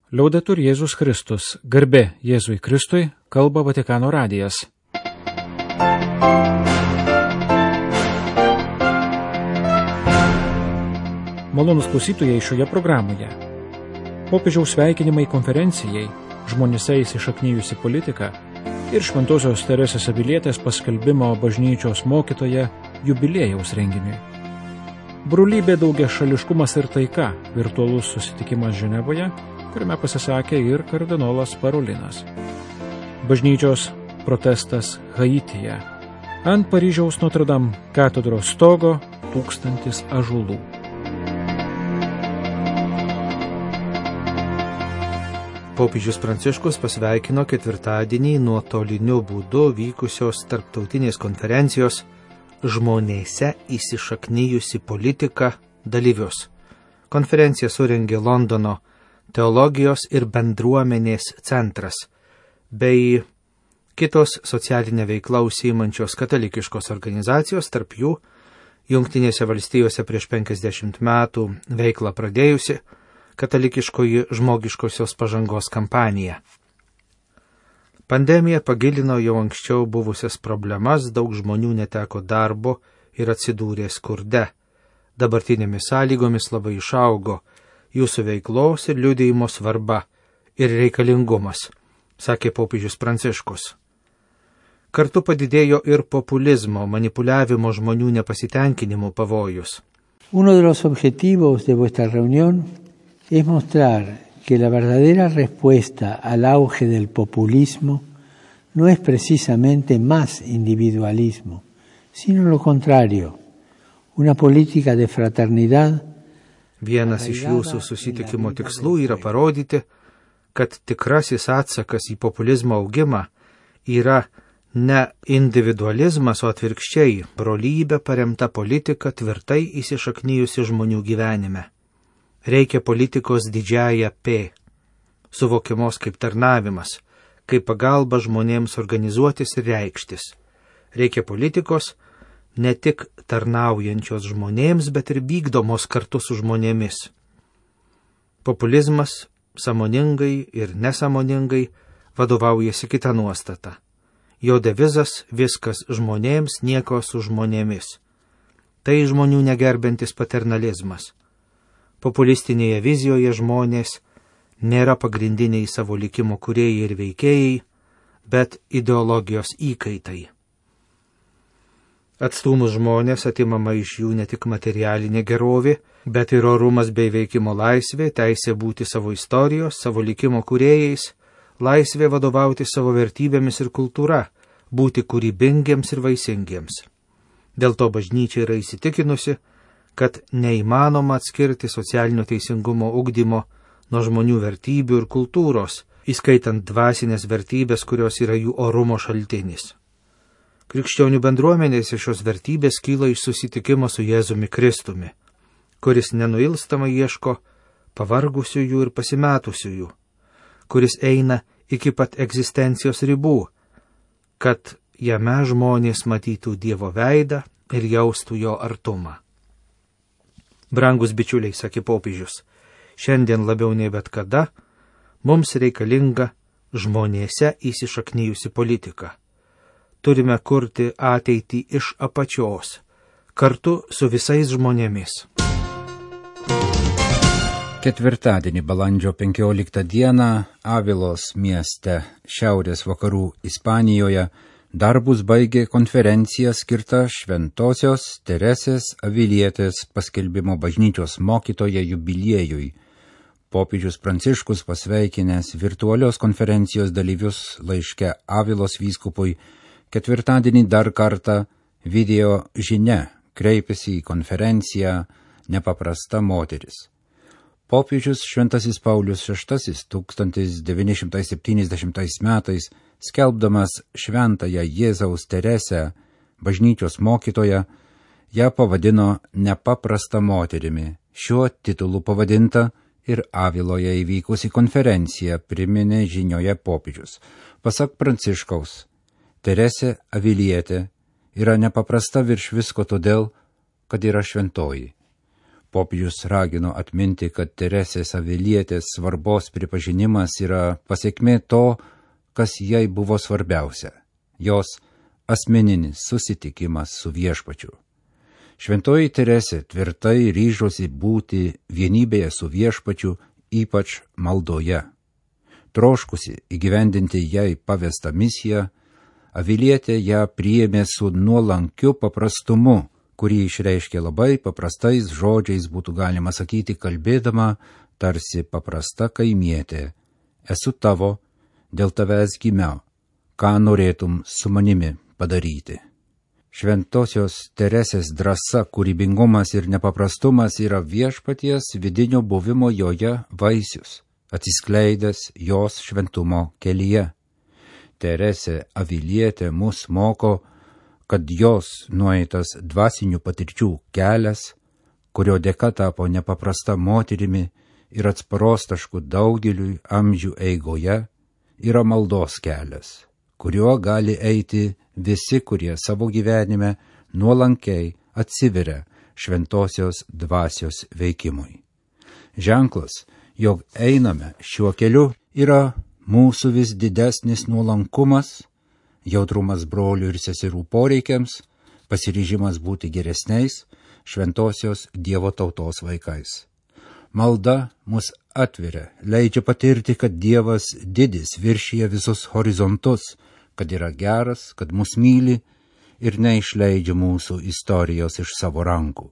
Liaudetur Jėzus Kristus, garbė Jėzui Kristui, kalba Vatikano radijas. Malonūs klausytojai šioje programoje. Popiežiaus sveikinimai konferencijai, žmonėse įsišaknijusi politika ir Šventosios Teresės Avilietės paskelbimo bažnyčios mokytoja jubiliejaus renginiui. Brolybė, daugiašališkumas ir taika, virtualus susitikimas Ženevoje, kuriame pasisakė ir kardinolas Parolinas. Bažnyčios protestas Haityje. Ant Paryžiaus Notre Dame katedros stogo 1000 ąžuolų. Popiežius Pranciškus pasveikino ketvirtadienį nuotoliniu būdu vykusios tarptautinės konferencijos Žmonėse įsišaknijusi politika dalyvius. Konferenciją surengė Londono Teologijos ir bendruomenės centras bei kitos socialinė veikla užsiimančios katalikiškos organizacijos, tarp jų Jungtinėse valstijose prieš 50 metų veiklą pradėjusi katalikiškoji žmogiškosios pažangos kampanija. Pandemija pagilino jau anksčiau buvusias problemas, daug žmonių neteko darbo ir atsidūrė skurde. Dabartinėmis sąlygomis labai išaugo jūsų veiklos ir liudijimo svarba ir reikalingumas, sakė popiežius Pranciškus. Kartu padidėjo ir populizmo, manipuliavimo žmonių nepasitenkinimo pavojus. Uno de los objetivos de vuestra reunión es mostrar que la verdadera respuesta al auge del populismo no es precisamente más individualismo, sino lo contrario, una política de fraternidad. Vienas iš jūsų susitikimo tikslų yra parodyti, kad tikrasis atsakas į populizmo augimą yra ne individualizmas, o atvirkščiai brolybė paremta politika tvirtai įsišaknijusi žmonių gyvenime. Reikia politikos didžiąją P, suvokiamos kaip tarnavimas, kaip pagalba žmonėms organizuotis ir reikštis. Reikia politikos ne tik tarnaujančios žmonėms, bet ir vykdomos kartu su žmonėmis. Populizmas sąmoningai ir nesąmoningai vadovaujasi kita nuostata. Jo devizas viskas žmonėms, nieko su žmonėmis. Tai žmonių negerbintis paternalizmas. Populistinėje vizijoje žmonės nėra pagrindiniai savo likimo kūrėjai ir veikėjai, bet ideologijos įkaitai. Atstumus žmonės atimama iš jų ne tik materialinė gerovė, bet ir orumas bei veikimo laisvė, teisė būti savo istorijos, savo likimo kūrėjais, laisvė vadovauti savo vertybėmis ir kultūra, būti kūrybingiems ir vaisingiems. Dėl to bažnyčia yra įsitikinusi, kad neįmanoma atskirti socialinio teisingumo ugdymo nuo žmonių vertybių ir kultūros, įskaitant dvasinės vertybės, kurios yra jų orumo šaltinis. Krikščionių bendruomenėse šios vertybės kyla iš susitikimo su Jėzumi Kristumi, kuris nenuilstamai ieško pavargusiųjų ir pasimetusiųjų, kuris eina iki pat egzistencijos ribų, kad jame žmonės matytų Dievo veidą ir jaustų jo artumą. Brangus bičiuliai, sakė popiežius, šiandien labiau nei bet kada mums reikalinga žmonėse įsišaknijusi politika. Turime kurti ateitį iš apačios, kartu su visais žmonėmis. Ketvirtadienį balandžio 15 dieną Avilos mieste šiaurės vakarų Ispanijoje darbus baigė konferencija skirta Šventosios Teresės Avilietės paskelbimo bažnyčios mokytoja jubiliejui. Popiežius Pranciškus pasveikinęs virtualios konferencijos dalyvius laiške Avilos vyskupui ketvirtadienį dar kartą video žinia kreipėsi į konferenciją nepaprasta moteris. Popiežius Šventasis Paulius VI 1970 metais, skelbdamas šventąją Jėzaus Teresę, bažnyčios mokytoją, ją pavadino nepaprasta moterimi. Šiuo titulu pavadinta ir Aviloje įvykusi konferencija, priminė žinioje popiežius. Pasak Pranciškaus, Teresė Avilietė yra nepaprasta virš visko todėl, kad yra šventoji. Popiežius ragino atminti, kad Teresės Avilietės svarbos pripažinimas yra pasiekmė to, kas jai buvo svarbiausia – jos asmeninis susitikimas su Viešpačiu. Šventoji Teresė tvirtai ryžosi būti vienybėje su Viešpačiu, ypač maldoje. Troškusi įgyvendinti jai pavestą misiją, Avilietė ją priėmė su nuolankiu paprastumu, kurį išreiškė labai paprastais žodžiais, būtų galima sakyti, kalbėdama tarsi paprasta kaimietė. Esu tavo, dėl tavęs gimiau, ką norėtum su manimi padaryti. Šventosios Teresės drąsa, kūrybingumas ir nepaprastumas yra Viešpaties vidinio buvimo joje vaisius, atsiskleidęs jos šventumo kelyje. Teresė Avilietė mus moko, kad jos nueitas dvasinių patirčių kelias, kurio dėka tapo nepaprasta moterimi ir atsparos tašku daugeliui amžių eigoje, yra maldos kelias, kuriuo gali eiti visi, kurie savo gyvenime nuolankiai atsiveria šventosios dvasios veikimui. Ženklas, jog einame šiuo keliu, yra mūsų vis didesnis nuolankumas, jautrumas brolių ir seserų poreikiams, pasiryžimas būti geresniais šventosios Dievo tautos vaikais. Malda mus atveria, leidžia patirti, kad Dievas didis viršyje visus horizontus, kad yra geras, kad mus myli ir neišleidžia mūsų istorijos iš savo rankų.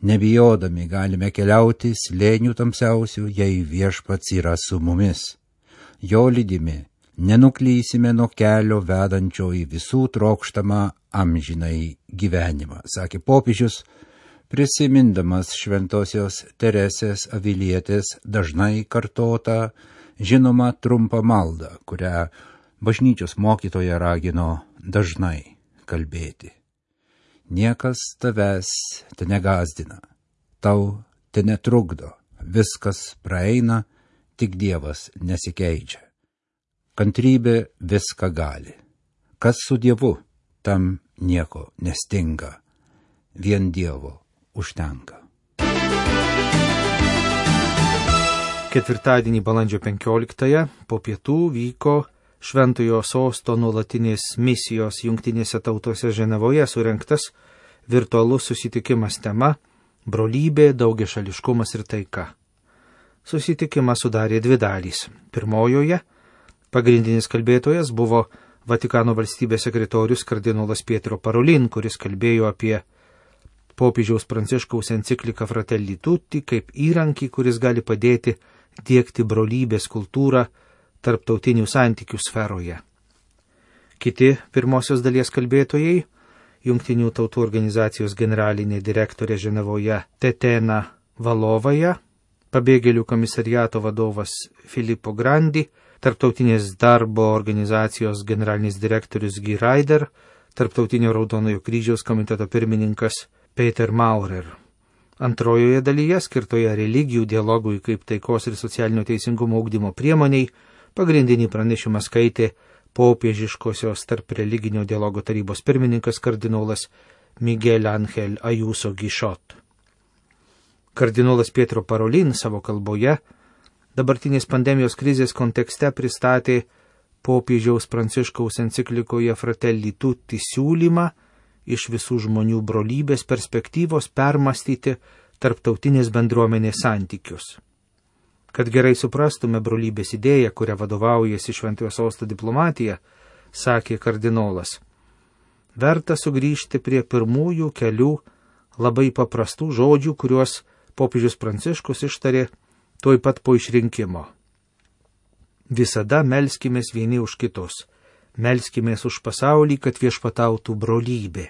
Nebijodami galime keliauti slėnių tamsiausių, jei Viešpats yra su mumis. Jo lydimi nenuklysime nuo kelio vedančio į visų trokštamą amžinai gyvenimą, sakė popiežius, prisimindamas šventosios Teresės Avilietės dažnai kartotą, žinomą trumpą maldą, kurią bažnyčios mokytoja ragino dažnai kalbėti. Niekas tavęs te negazdina, tau te netrukdo, viskas praeina, tik Dievas nesikeičia. Kantrybė viską gali. Kas su Dievu, tam nieko nestinga. Vien Dievo užtenka. Ketvirtadienį balandžio 15 po pietų vyko Šventojo Sosto nuolatinės misijos Jungtinėse tautose Ženevoje surengtas virtualus susitikimas tema brolybė, daugiašališkumas ir taika. Susitikimą sudarė dvi dalys. Pirmojoje pagrindinis kalbėtojas buvo Vatikano valstybės sekretorius kardinolas Pietro Parolin, kuris kalbėjo apie popiežiaus Pranciškaus encikliką Fratelli Tutti kaip įrankį, kuris gali padėti diegti brolybės kultūrą tarptautinių santykių sferoje. Kiti pirmosios dalies kalbėtojai, Jungtinių tautų organizacijos generalinė direktorė Ženevoje Tetena Valovaja, pabėgėlių komisariato vadovas Filippo Grandi, Tarptautinės darbo organizacijos generalinis direktorius Guy Ryder, Tarptautinio Raudonojo kryžiaus komiteto pirmininkas Peter Maurer. Antrojoje dalyje, skirtoje religijų dialogui kaip taikos ir socialinio teisingumo ugdymo priemoniai, pagrindinį pranešimą skaitė popiežiškosios tarp religinio dialogo tarybos pirmininkas kardinolas Miguel Ángel Ayuso Guichot. Kardinolas Pietro Parolin savo kalboje dabartinės pandemijos krizės kontekste pristatė popiežiaus Pranciškaus enciklikoje Fratelli Tutti siūlymą iš visų žmonių brolybės perspektyvos permastyti tarptautinės bendruomenės santykius. Kad gerai suprastume brolybės idėją, kurią vadovaujasi Šventojo Sosto diplomatija, sakė kardinolas, verta sugrįžti prie pirmųjų kelių labai paprastų žodžių, kuriuos popiežius Pranciškus ištarė tuoj pat po išrinkimo. Visada melskimės vieni už kitus, melskimės už pasaulį, kad viešpatautų brolybė.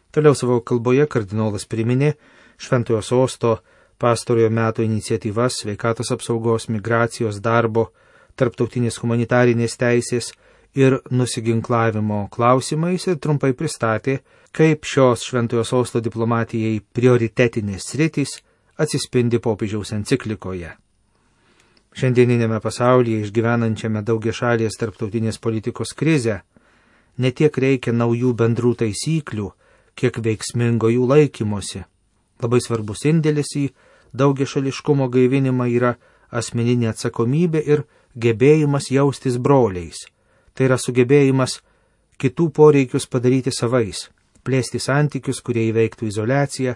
Toliau savo kalboje kardinolas priminė Šventojo Sosto pastarojo meto iniciatyvas sveikatos apsaugos, migracijos, darbo, tarptautinės humanitarinės teisės ir nusiginklavimo klausimais ir trumpai pristatė, kaip šios Šventojo Sosto diplomatijai prioritetinės sritys atsispindi popiežiaus enciklikoje. Šiandieninėme pasaulyje išgyvenančiame daugiašalės tarptautinės politikos krizę ne tiek reikia naujų bendrų taisyklių, kiek veiksmingo jų laikymosi, Labai svarbus indėlis į daugiašališkumo gaivinimą yra asmeninė atsakomybė ir gebėjimas jaustis broliais. Tai yra sugebėjimas kitų poreikius padaryti savais, plėsti santykius, kurie įveiktų izoliaciją,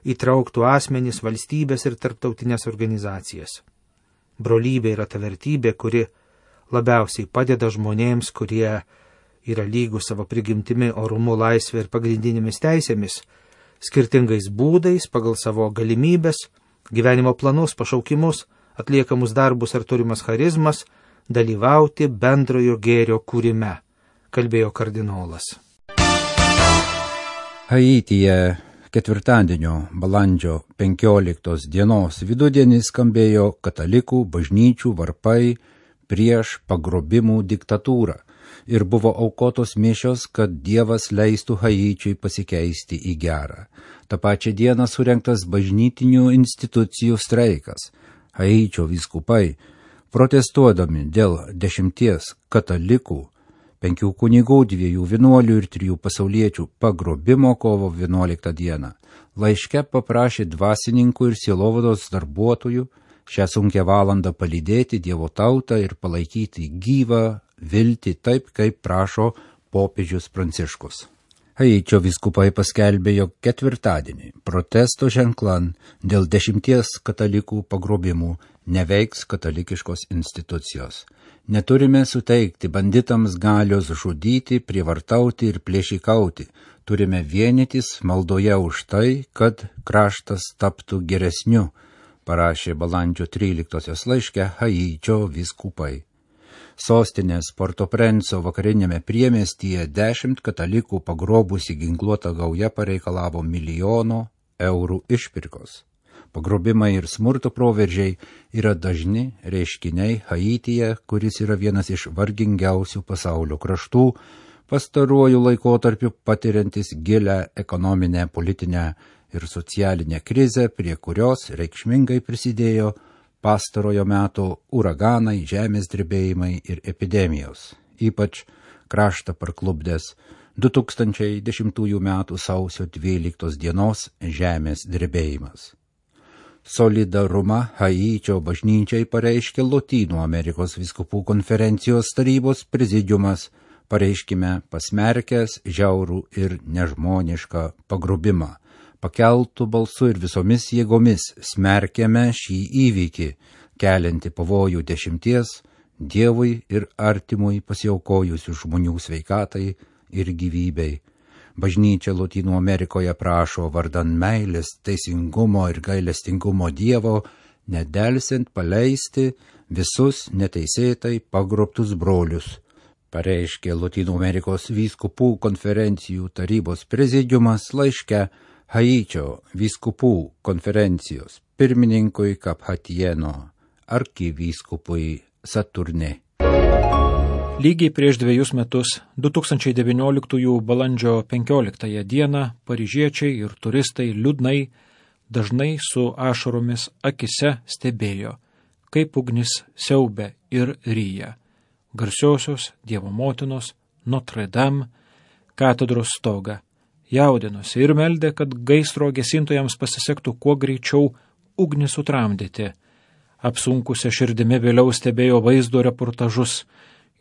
įtrauktų asmenis, valstybės ir tarptautinės organizacijas. Brolybė yra ta vertybė, kuri labiausiai padeda žmonėms, kurie yra lygūs savo prigimtimi, orumu, laisvė ir pagrindinėmis teisėmis, skirtingais būdais, pagal savo galimybės, gyvenimo planus, pašaukimus, atliekamus darbus ar turimas charizmas, dalyvauti bendrojo gėrio kūrime, kalbėjo kardinolas. Haityje ketvirtadienio balandžio 15 dienos vidudienį skambėjo katalikų bažnyčių varpai prieš pagrobimų diktatūrą ir buvo aukotos mišios, kad Dievas leistų Haičiui pasikeisti į gerą. Ta pačia diena surengtas bažnytinių institucijų streikas. Haičio vyskupai, protestuodami dėl 10 katalikų, 5 kunigų, 2 vienuolių ir 3 pasauliečių pagrobimo kovo 11 dieną, laiške paprašė dvasininkų ir sielovados darbuotojų šią sunkią valandą palydėti Dievo tautą ir palaikyti gyvą viltį taip, kaip prašo popiežius Pranciškus. Haičio vyskupai paskelbė, jog ketvirtadienį protesto ženklan dėl 10 katalikų pagrobimų neveiks katalikiškos institucijos. Neturime suteikti banditams galios žudyti, prievartauti ir plėšikauti. Turime vienytis maldoje už tai, kad kraštas taptų geresniu, parašė balandžio 13 laiške Haičio vyskupai. Sostinės Port-au-Prince'o vakarinėme priemiestyje 10 katalikų pagrobusi ginkluota gauja pareikalavo $1 milijono išpirkos. Pagrobimai ir smurto proveržiai yra dažni reiškiniai Haityje, kuris yra vienas iš vargingiausių pasaulio kraštų, pastaruoju laikotarpiu patiriantis gilę ekonominę, politinę ir socialinę krizę, prie kurios reikšmingai prisidėjo pastarojo meto uraganai, žemės drebėjimai ir epidemijos. Ypač kraštą parklupdęs 2010 m. sausio 12 dienos žemės drebėjimas. Solidarumą Haičio bažnyčiai pareiškė Lotynų Amerikos vyskupų konferencijos tarybos prezidiumas, pareiškime pasmerkęs žiaurų ir nežmonišką pagrobimą. Pakeltų balsu ir visomis jėgomis smerkėme šį įvykį, keliantį pavojų 10 Dievui ir artimui pasiaukojusių žmonių sveikatai ir gyvybei. Bažnyčia Lotynų Amerikoje prašo vardan meilės, teisingumo ir gailestingumo Dievo, nedelsiant paleisti visus neteisėtai pagrobtus brolius, pareiškė Lotynų Amerikos vyskupų konferencijų tarybos prezidiumas laiške Haičio vyskupų konferencijos pirmininkui Kaphatijeno arkivyskupui Saturne. Lygiai prieš 2 metus, 2019 balandžio 15 dieną, paryžiečiai ir turistai liūdnai, dažnai su ašaromis akise stebėjo, kaip ugnis siaubia ir ryja garsiosios Dievo motinos Notre Dame katedros stogą. Jaudinosi ir meldė, kad gaisro gesintojams pasisektų kuo greičiau ugnį sutramdyti. Apsunkusią širdimi vėliau stebėjo vaizdo reportažus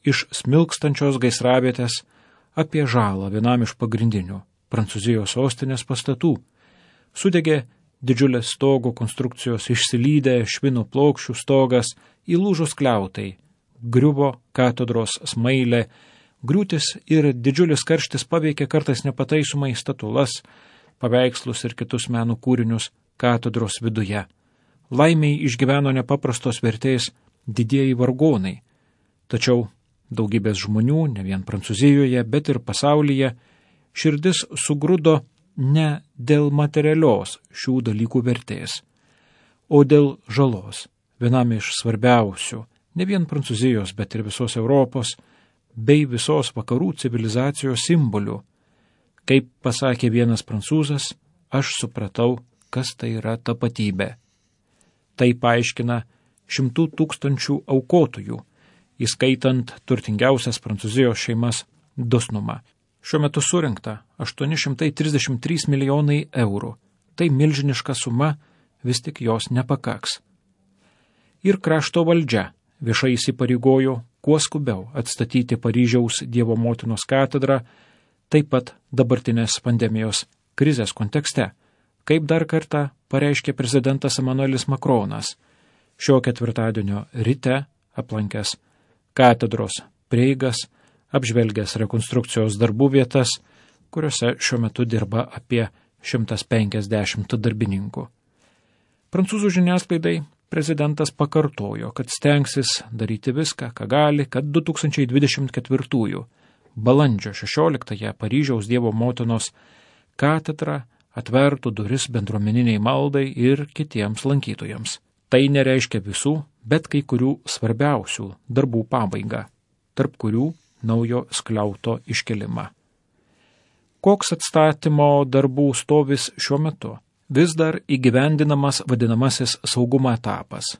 iš smilkstančios gaisravietės apie žalą vienam iš pagrindinių Prancūzijos sostinės pastatų. Sudegė didžiulės stogo konstrukcijos, išsilydę švino plokščių stogas, įlūžus kliautai, griuvo katedros smailė, griūtis ir didžiulis karštis paveikė kartais nepataisomai statulas, paveikslus ir kitus meno kūrinius katedros viduje. Laimiai išgyveno nepaprastos vertės didieji vargonai, tačiau daugybės žmonių, ne vien Prancūzijoje, bet ir pasaulyje, širdis sugrudo ne dėl materialios šių dalykų vertės, o dėl žalos, vienam iš svarbiausių, ne vien Prancūzijos, bet ir visos Europos, bei visos vakarų civilizacijos simbolių. Kaip pasakė vienas prancūzas, aš supratau, kas tai yra tapatybė. Tai paaiškina 100 000 aukotojų, įskaitant turtingiausias Prancūzijos šeimas dosnumą. Šiuo metu surinkta 833 milijonai eurų. tai milžiniška suma, vis tik jos nepakaks. Ir krašto valdžia viešai įsipareigojo kuo skubiau atstatyti Paryžiaus Dievo motinos katedrą, taip pat dabartinės pandemijos krizės kontekste, kaip dar kartą pareiškė prezidentas Emanuelis Makronas, šio ketvirtadienio ryte aplankęs katedros prieigas, apžvelgęs rekonstrukcijos darbų vietas, kuriuose šiuo metu dirba apie 150 darbininkų. Prancūzų žiniasklaidai prezidentas pakartojo, kad stengsis daryti viską, ką gali, kad 2024 balandžio 16 Paryžiaus Dievo motinos katedra atvertų duris bendruomeniniai maldai ir kitiems lankytojams. Tai nereiškia visų, bet kai kurių svarbiausių darbų pabaigą, tarp kurių naujo skliauto iškelimą. Koks atstatymo darbų stovis šiuo metu? Vis dar įgyvendinamas vadinamasis saugumo etapas.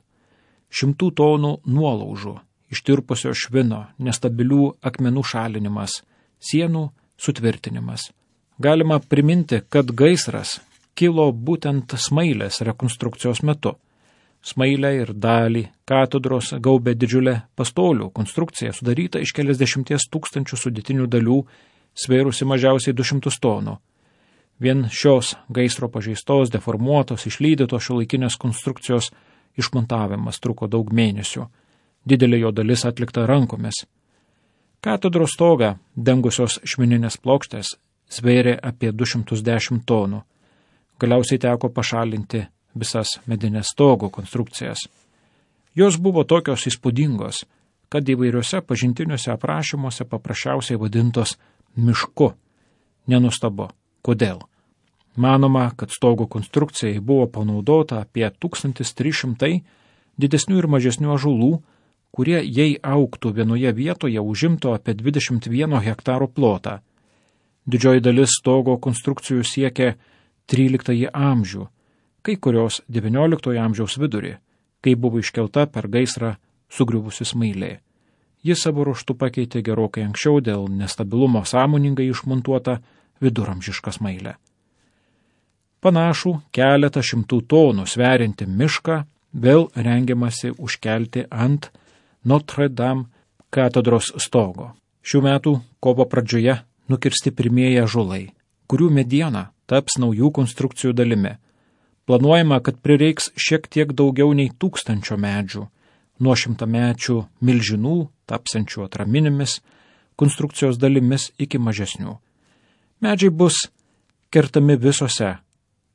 100 tonų nuolaužų, ištirpusio švino, nestabilių akmenų šalinimas, sienų sutvirtinimas. Galima priminti, kad gaisras kilo būtent Smailės rekonstrukcijos metu. Smailę ir dalį katedros gaubė didžiulė pastolių konstrukcija, sudaryta iš keliasdešimties tūkstančių sudėtinių dalių, svėrusi mažiausiai 200 tonų. Vien šios gaisro pažeistos, deformuotos, išlydytos šiuolaikinės konstrukcijos išmontavimas truko daug mėnesių. Didelė jo dalis atlikta rankomis. Katedros stogą dengusios švininės plokštės svėrė apie 210 tonų. Galiausiai teko pašalinti visas medinės stogo konstrukcijas. Jos buvo tokios įspūdingos, kad įvairiuose pažintiniuose aprašymuose paprasčiausiai vadintos mišku. Nenustabu. Kodėl? Manoma, kad stogo konstrukcijai buvo panaudota apie 1300 didesnių ir mažesnių ąžuolų, kurie, jei augtų vienoje vietoje, užimtų apie 21 hektaro plotą. Didžioji dalis stogo konstrukcijų siekia 13 amžių, kai kurios 19 amžiaus vidurį, kai buvo iškelta per gaisrą sugriuvusi Smailė. Jis savo ruožtu pakeitė gerokai anksčiau dėl nestabilumo sąmoningai išmontuotą viduramžišką Smailę. Panašų keletą šimtų tonų sveriantį mišką vėl rengiamasi užkelti ant Notre Dame katedros stogo. Šių metų kovo pradžioje nukirsti pirmieji ąžuolai, kurių mediena taps naujų konstrukcijų dalimi. Planuojama, kad prireiks šiek tiek daugiau nei 1000 medžių, nuo 100-mečių milžinų, tapsiančių atraminėmis, konstrukcijos dalimis iki mažesnių. Medžiai bus kertami visose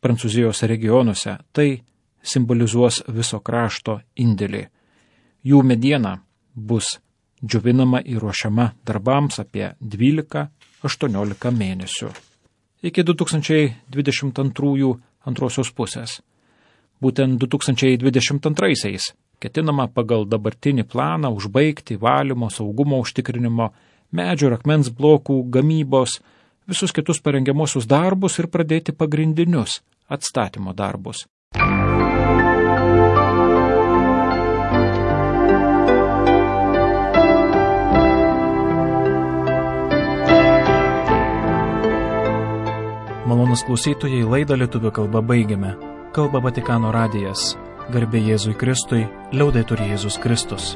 Prancūzijos regionuose, tai simbolizuos viso krašto indėlį. Jų mediena bus džiovinama ir ruošiama darbams apie 12-18 mėnesių. Iki 2022 antrosios pusės. Būtent 2022 ketinama pagal dabartinį planą užbaigti valymo, saugumo užtikrinimo, medžio ir akmens blokų gamybos, visus kitus parengiamuosius darbus ir pradėti pagrindinius atstatymo darbus. Malonus klausytojai, laidą lietuvių kalba baigiame. Kalba Vatikano radijas. Garbė Jėzui Kristui, liaudetur Jėzus Kristus.